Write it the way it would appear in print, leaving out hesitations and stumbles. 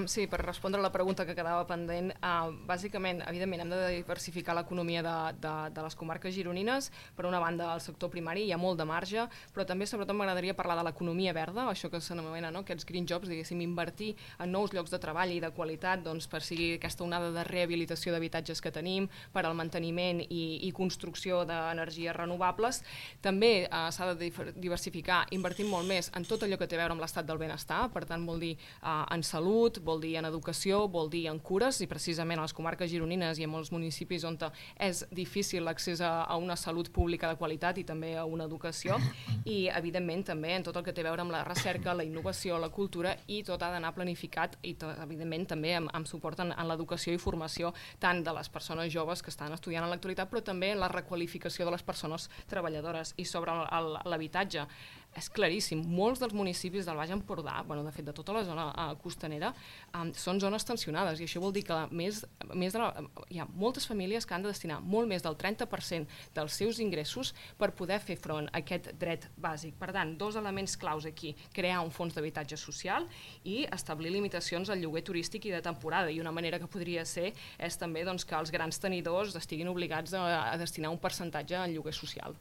Sí, per respondre a la pregunta que quedava pendent, bàsicament, evidentment, hem de diversificar l'economia de les comarques gironines. Per una banda, al sector primari hi ha molt de marge, però també, sobretot, m'agradaria parlar de l'economia verda, això que s'anomena, no?, aquests green jobs, diguéssim, invertir en nous llocs de treball i de qualitat, doncs, per seguir aquesta onada de rehabilitació d'habitatges que tenim, per al manteniment i construcció d'energies renovables. També s'ha de diversificar, invertint molt més en tot allò que té a veure amb l'estat del benestar, per tant, vol dir en salut, vol dir en educació, vol dir en cures, i precisament a les comarques gironines i en molts municipis on és difícil l'accés a una salut pública de qualitat i també a una educació, i evidentment també en tot el que té a veure amb la recerca, la innovació, la cultura, i tot ha d'anar planificat i evidentment també amb suport en l'educació i formació tant de les persones joves que estan estudiant en l'actualitat, però també en la requalificació de les persones treballadores. I sobre l'habitatge, és claríssim, molts dels municipis del Baix Empordà, de fet de tota la zona costanera, són zones tensionades, i això vol dir que hi ha moltes famílies que han de destinar molt més del 30% dels seus ingressos per poder fer front a aquest dret bàsic. Per tant, dos elements claus aquí: crear un fons d'habitatge social i establir limitacions al lloguer turístic i de temporada, i una manera que podria ser és també que els grans tenidors estiguin obligats a destinar un percentatge al lloguer social.